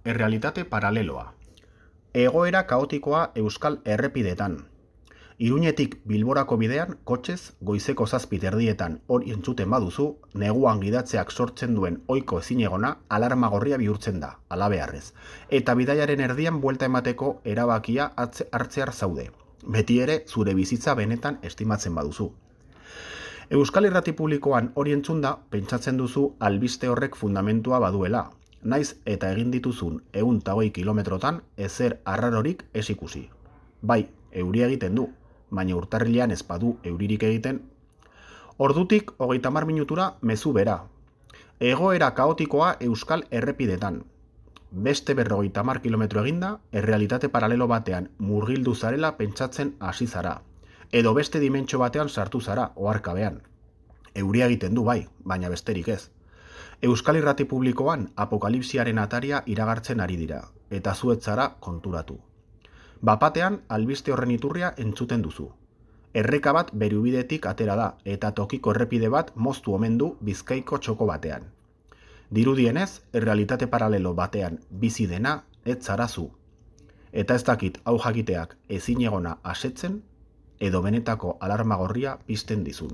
errealitate paraleloa. Egoera kaotikoa euskal errepidetan. Iruñetik Bilborako bidean, kotxez, goizeko 7:00 hori entzuten baduzu, neguan gidatzeak sortzen duen ohiko ezinegona alarma gorria bihurtzen da, halabeharrez. Eta bidaiaren erdian buelta emateko erabakia hartzear zaude. Beti ere, zure bizitza benetan estimatzen baduzu. Euskal Irrati Publikoan hori entzunda, pentsatzen duzu albiste horrek fundamentua baduela. Naiz eta egin dituzun 120 kilometrotan ezer arrarorik ez ikusi. Bai, euria egiten du, baina urtarrilean ez badu euririk egiten. Ordutik 30 minutura mezu bera. Egoera kaotikoa euskal errepidetan. Beste 50 kilometro eginda, errealitate paralelo batean murgildu zarela pentsatzen hasi zara. Edo beste dimentsio batean sartu zara, oharkabean. Euria egiten du bai, baina besterik ez. Euskal Irrati Publikoan apokalipsiaren ataria iragartzen ari dira, eta zuetzara konturatu. Bapatean, albiste horren iturria entzuten duzu. Erreka bat berubidetik atera da, eta tokiko errepide bat moztu omen du Bizkaiko txoko batean. Dirudienez, errealitate paralelo batean bizi dena ez zara zu. Eta ez dakit hau jakiteak ezinegona asetzen, edo benetako alarma gorria pizten dizun.